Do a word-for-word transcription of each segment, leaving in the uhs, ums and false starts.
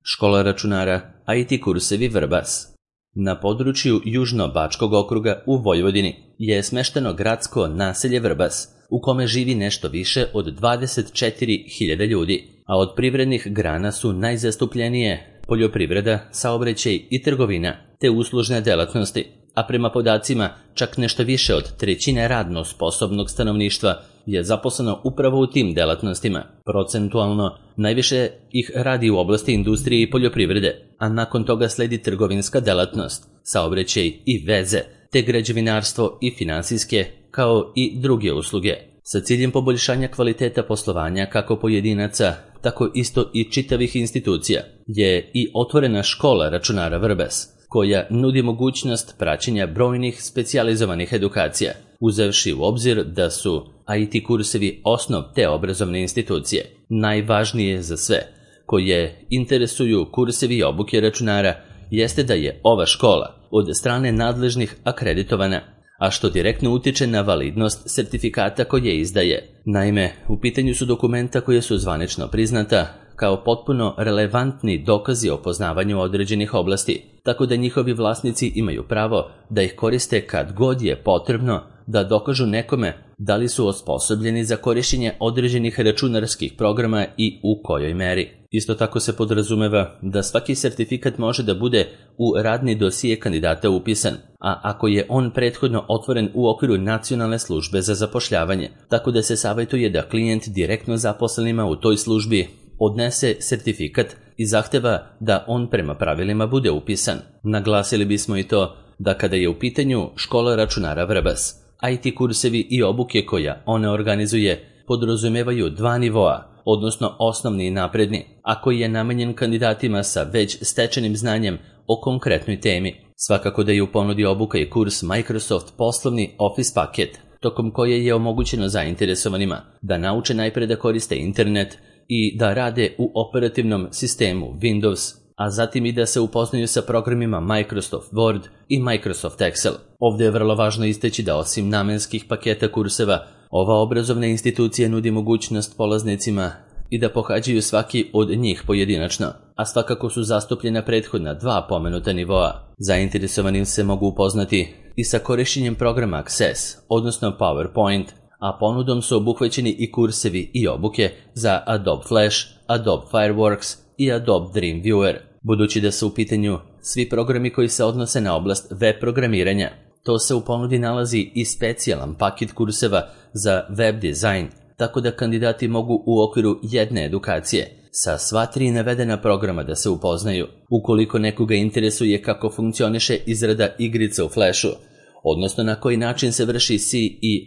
Škola računara I T kursevi Vrbas. Na području Južno-Bačkog okruga u Vojvodini je smešteno gradsko naselje Vrbas, u kome živi nešto više od dvadeset četiri hiljade ljudi, a od privrednih grana su najzastupljenije poljoprivreda, saobraćaj i trgovina, te uslužne delatnosti, a prema podacima čak nešto više od trećine radno sposobnog stanovništva je zaposleno upravo u tim delatnostima. Procentualno najviše ih radi u oblasti industrije i poljoprivrede, a nakon toga sledi trgovinska delatnost, saobraćaj i veze, te građevinarstvo i finansijske, kao i druge usluge. Sa ciljem poboljšanja kvaliteta poslovanja kako pojedinaca, tako isto i čitavih institucija, je i otvorena škola računara Vrbas, koja nudi mogućnost praćenja brojnih specijalizovanih edukacija, uzevši u obzir da su I T kursevi osnov te obrazovne institucije. Najvažnije za sve koje interesuju kursevi i obuke računara jeste da je ova škola od strane nadležnih akreditovana, a što direktno utiče na validnost sertifikata koje izdaje. Naime, u pitanju su dokumenta koje su zvanično priznata kao potpuno relevantni dokazi o poznavanju određenih oblasti, tako da njihovi vlasnici imaju pravo da ih koriste kad god je potrebno da dokažu nekome da li su osposobljeni za korišćenje određenih računarskih programa i u kojoj meri. Isto tako se podrazumeva da svaki sertifikat može da bude u radni dosije kandidata upisan, a ako je on prethodno otvoren u okviru Nacionalne službe za zapošljavanje, tako da se savjetuje da klijent direktno zaposlenima u toj službi odnese sertifikat i zahteva da on prema pravilima bude upisan. Naglasili bismo i to da kada je u pitanju škola računara Vrbas, I T kursevi i obuke koja one organizuje podrazumevaju dva nivoa, odnosno osnovni i napredni, a koji je namenjen kandidatima sa već stečenim znanjem o konkretnoj temi. Svakako da je u ponudi obuka i kurs Microsoft poslovni Office paket, tokom koje je omogućeno zainteresovanima da nauče najpre da koriste internet i da rade u operativnom sistemu Windows, a zatim i da se upoznaju sa programima Microsoft Word i Microsoft Excel. Ovdje je vrlo važno istaći da osim namenskih paketa kurseva, ova obrazovna institucija nudi mogućnost polaznicima i da pohađaju svaki od njih pojedinačno, a svakako su zastupljena prethodna dva pomenuta nivoa. Zainteresovanim se mogu upoznati i sa korišćenjem programa Access, odnosno PowerPoint, a ponudom su obuhvaćeni i kursevi i obuke za Adobe Flash, Adobe Fireworks i Adobe Dreamweaver. Budući da su u pitanju svi programi koji se odnose na oblast web programiranja, to se u ponudi nalazi i specijalan paket kurseva za web dizajn, tako da kandidati mogu u okviru jedne edukacije sa sva tri navedena programa da se upoznaju. Ukoliko nekoga interesuje kako funkcioniše izrada igrica u Flashu, odnosno na koji način se vrši S E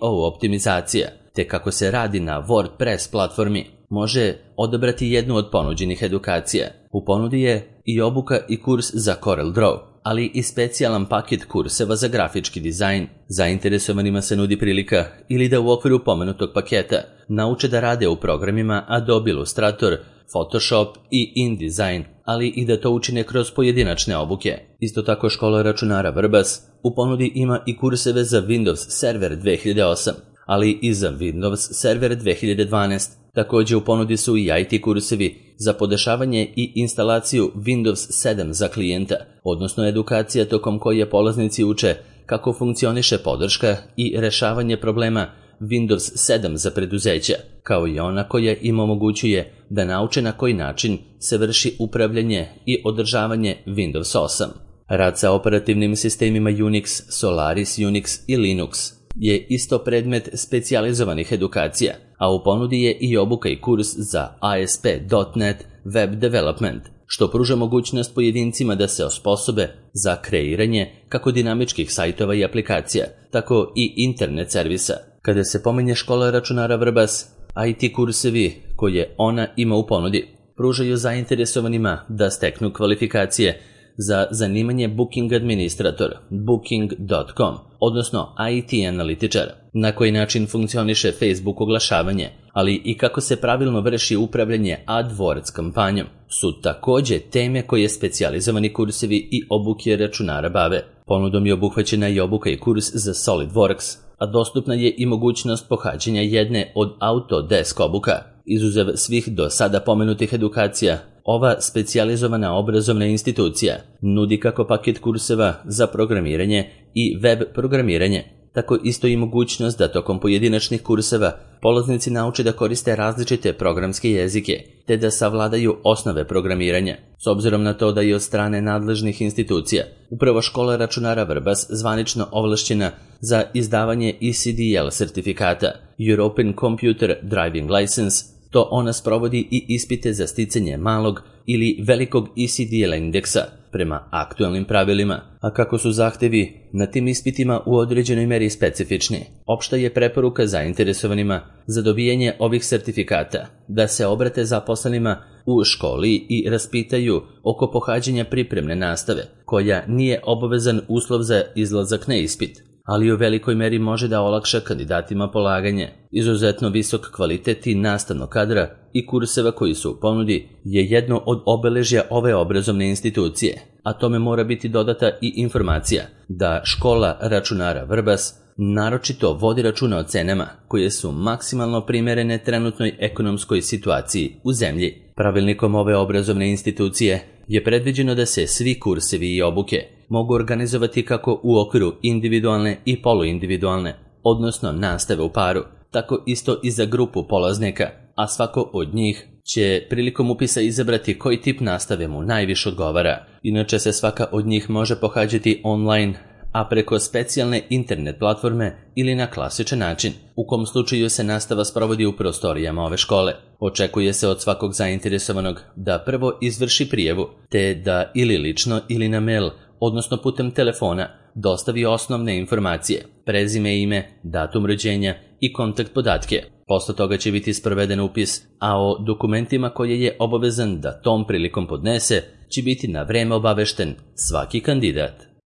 O optimizacija, te kako se radi na WordPress platformi, može odabrati jednu od ponuđenih edukacija. U ponudi je i obuka i kurs za CorelDRAW, ali i specijalan paket kurseva za grafički dizajn. Zainteresovanima se nudi prilika ili da u okviru pomenutog paketa nauče da rade u programima Adobe Illustrator, Photoshop i InDesign, ali i da to učine kroz pojedinačne obuke. Isto tako škola računara Vrbas u ponudi ima i kurseve za Windows Server dve hiljade osam, ali i za Windows Server dve hiljade dvanaest. Također u ponudi su i I T kursevi za podešavanje i instalaciju Windows sedam za klijenta, odnosno edukacija tokom koje polaznici uče kako funkcioniše podrška i rešavanje problema Windows sedam za preduzeća, kao i ona koja im omogućuje da nauče na koji način se vrši upravljanje i održavanje Windows osam. Rad sa operativnim sistemima Unix, Solaris Unix i Linux je isto predmet specijalizovanih edukacija, a u ponudi je i obuka i kurs za A S P dot net Web Development, što pruža mogućnost pojedincima da se osposobe za kreiranje kako dinamičkih sajtova i aplikacija, tako i internet servisa. Kada se pominje škola računara Vrbas, I T kursevi koje ona ima u ponudi pružaju zainteresovanima da steknu kvalifikacije za zanimanje Booking Administrator, booking dot com, odnosno I T analitičar, na koji način funkcioniše Facebook oglašavanje, ali i kako se pravilno vrši upravljanje AdWords kampanjom, su također teme koje specijalizovani kursevi i obuke računara bave. Ponudom je obuhvaćena i obuka i kurs za SolidWorks, a dostupna je i mogućnost pohađanja jedne od Autodesk obuka. Izuzev svih do sada pomenutih edukacija, Ova specijalizovana obrazovna institucija nudi kako paket kurseva za programiranje i web programiranje, tako isto i mogućnost da tokom pojedinačnih kurseva polaznici nauče da koriste različite programske jezike, te da savladaju osnove programiranja. S obzirom na to da je od strane nadležnih institucija upravo škola računara Vrbas zvanično ovlašćena za izdavanje E C D L sertifikata European Computer Driving License, to ona sprovodi i ispite za sticanje malog ili velikog E C D L indeksa prema aktualnim pravilima, a kako su zahtevi na tim ispitima u određenoj meri specifični, opšta je preporuka zainteresovanima za dobijanje ovih sertifikata da se obrate zaposlenima u školi i raspitaju oko pohađanja pripremne nastave, koja nije obavezan uslov za izlazak na ispit, ali u velikoj meri može da olakša kandidatima polaganje. Izuzetno visok kvalitet i nastavnog kadra i kurseva koji su u ponudi je jedno od obeležja ove obrazovne institucije, a tome mora biti dodata i informacija da škola računara Vrbas naročito vodi računa o cenama koje su maksimalno primerene trenutnoj ekonomskoj situaciji u zemlji. Pravilnikom ove obrazovne institucije je predviđeno da se svi kursevi i obuke mogu organizovati kako u okviru individualne i poluindividualne, odnosno nastave u paru, tako isto i za grupu polaznika, a svako od njih će prilikom upisa izabrati koji tip nastave mu najviše odgovara. Inače se svaka od njih može pohađati online, a preko specijalne internet platforme ili na klasičan način, u kom slučaju se nastava sprovodi u prostorijama ove škole. Očekuje se od svakog zainteresovanog da prvo izvrši prijavu, te da ili lično ili na mail, odnosno putem telefona, dostavi osnovne informacije, prezime, ime, datum rođenja i kontakt podatke. Posle toga će biti sproveden upis, a o dokumentima koje je obavezan da tom prilikom podnese će biti na vreme obavešten svaki kandidat.